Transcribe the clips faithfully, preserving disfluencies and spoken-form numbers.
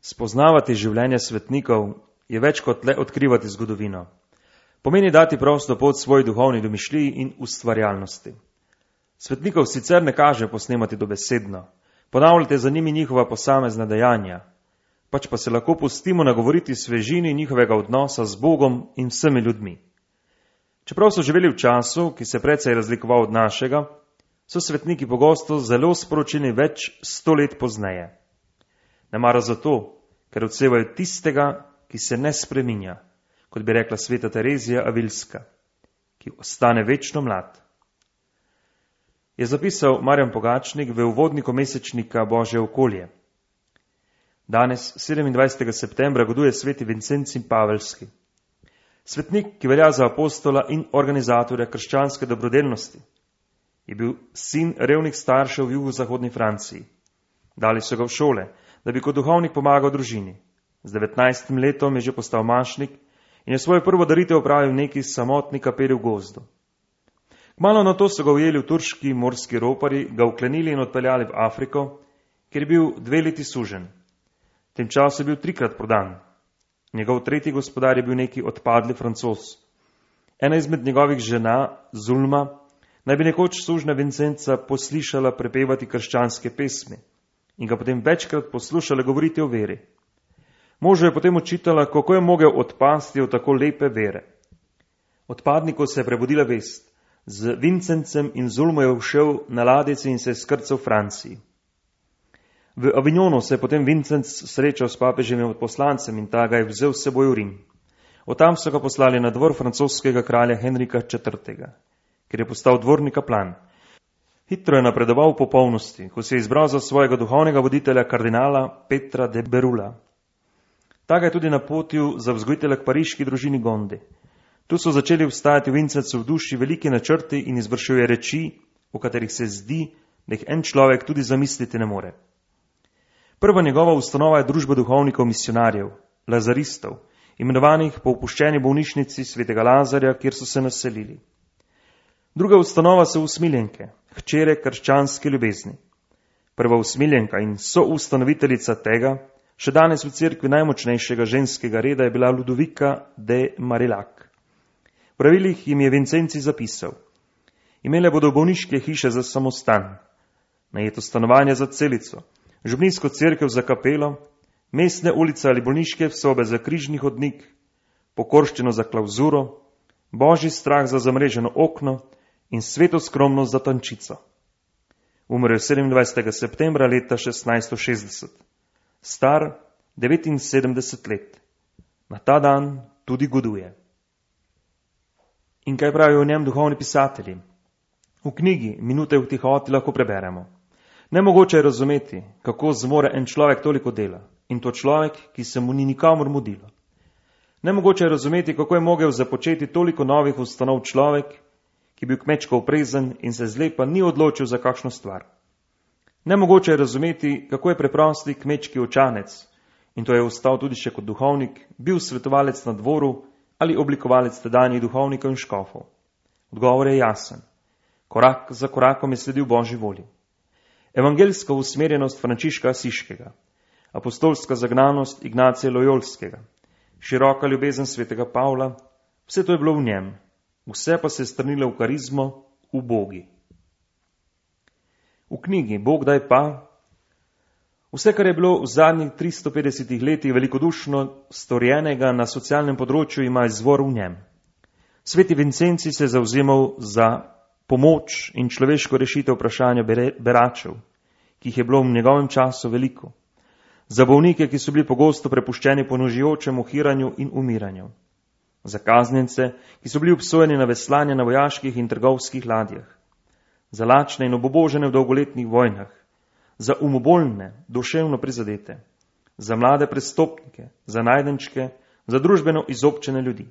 Spoznavati življenje svetnikov je več kot le odkrivati zgodovino. Pomeni dati prosto pot svoji duhovni domišljiji in ustvarjalnosti. Svetnikov sicer ne kaže posnemati dobesedno, ponavljate za njimi njihova posamezna dejanja, pač pa se lahko pustimo nagovoriti svežini njihovega odnosa z Bogom in vsemi ljudmi. Čeprav so živeli v času, ki se precej razlikoval od našega, so svetniki pogosto zelo sporočeni več sto let pozneje. Nemara zato, ker odsevajo tistega, ki se ne spreminja, kot bi rekla sveta Terezija Avilska, ki ostane večno mlad. Je zapisal Marjan Pogačnik v uvodniku mesečnika Božje okolje. Danes, sedemindvajsetega septembra, goduje sveti Vincencij Paveljski. Svetnik, ki velja za apostola in organizatorja krščanske dobrodelnosti, je bil sin revnih staršev v jugozahodni Franciji. Dali so ga v šole, da bi kot duhovnik pomagal družini. Z devetnajstim letom je že postal mašnik in je svojo prvo daritev opravil v neki samotni kapeli v gozdu. Kmalu na to so ga ujeli v turški morski ropari, ga uklenili in odpeljali v Afriko, kjer je bil dve leti sužen. V tem času je bil trikrat prodan. Njegov tretji gospodar je bil neki odpadli Francoz. Ena izmed njegovih žena, Zulma, naj bi nekoč sužna Vincenca poslišala prepevati krščanske pesmi in ga potem večkrat poslušala govoriti o veri. Možu je potem očitala, kako je mogel odpasti od tako lepe vere. Odpadniku se je prebudila vest. Z Vincencem in Zulmo je všel na ladjici in se je skrcal v Franciji. V Avignonu se je potem Vincenc srečal s papeževim odposlancem in ta ga je vzel s seboj v Rim. Od tam so ga poslali na dvor francoskega kralja Henrika četrtega, ker je postal dvorni kaplan. Hitro je napredoval v popolnosti, ko se je izbral za svojega duhovnega voditelja kardinala Petra de Berula. Ta ga je tudi napotil za vzgojitelja k pariški družini Gondi. Tu so začeli vstajati v Vincencu v duši veliki načrti in izvršuje reči, v katerih se zdi, da jih en človek tudi zamisliti ne more. Prva njegova ustanova je družba duhovnikov misionarjev, lazaristov, imenovanih po opuščeni bolnišnici svetega Lazarja, kjer so se naselili. Druga ustanova so usmiljenke, hčere krščanske ljubezni. Prva usmiljenka in soustanoviteljica tega, še danes v cerkvi najmočnejšega ženskega reda, je bila Ludovika de Marillac. V pravilih jim je Vincenci zapisal: imele bodo bolniške hiše za samostan, najeto stanovanje za celico, župnijsko cerkev za kapelo, mestne ulice ali bolniške sobe za križni hodnik, pokorščino za klauzuro, božji strah za zamreženo okno in sveto skromnost za tančico. Umrl je sedemindvajsetega septembra leta šestnajststo šestdeset, star devetinsedemdeset let. Na ta dan tudi goduje. In kaj pravijo o njem duhovni pisatelji? V knjigi Minute v tihoti lahko preberemo: nemogoče je razumeti, kako zmore en človek toliko dela, in to človek, ki se mu ni nikamor mudilo. Nemogoče je razumeti, kako je mogel započeti toliko novih ustanov človek, ki je bil kmečko oprezen in se zlepa ni odločil za kakšno stvar. Nemogoče je razumeti, kako je preprosti kmečki očanec, in to je ostal tudi še kot duhovnik, bil svetovalec na dvoru ali oblikovalec tedanjih duhovnikov in škofov. Odgovor je jasen. Korak za korakom je sledil Božji volji. Evangeljska usmerjenost Frančiška Asiškega, apostolska zagnanost Ignacija Lojolskega, široka ljubezen svetega Pavla, vse to je bilo v njem, vse pa se je strnilo v karizmo, v Bogi. V knjigi Bog daj pa, vse, kar je bilo v zadnjih tristo petdesetih letih velikodušno storjenega na socialnem področju, ima izvor v njem. Sveti Vincenci se je zavzemal za pomoč in človeško rešitev vprašanja beračev, ki jih je bilo v njegovem času veliko. Za bolnike, ki so bili pogosto prepuščeni ponožujočemu hiranju in umiranju. Za kaznjence, ki so bili obsojeni na veslanje na vojaških in trgovskih ladjah. Za lačne in obubožene v dolgoletnih vojnah. Za umobolne, duševno prizadete. Za mlade prestopnike, za najdenčke, za družbeno izobčene ljudi.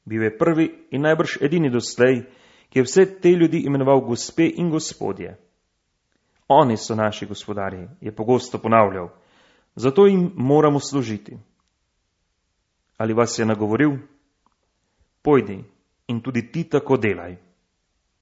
Bil je prvi in najbrž edini doslej, ki je vse te ljudi imenoval gospe in gospodje. Oni so naši gospodarji, je pogosto ponavljal, zato jim moramo služiti. Ali vas je nagovoril? Pojdi in tudi ti tako delaj.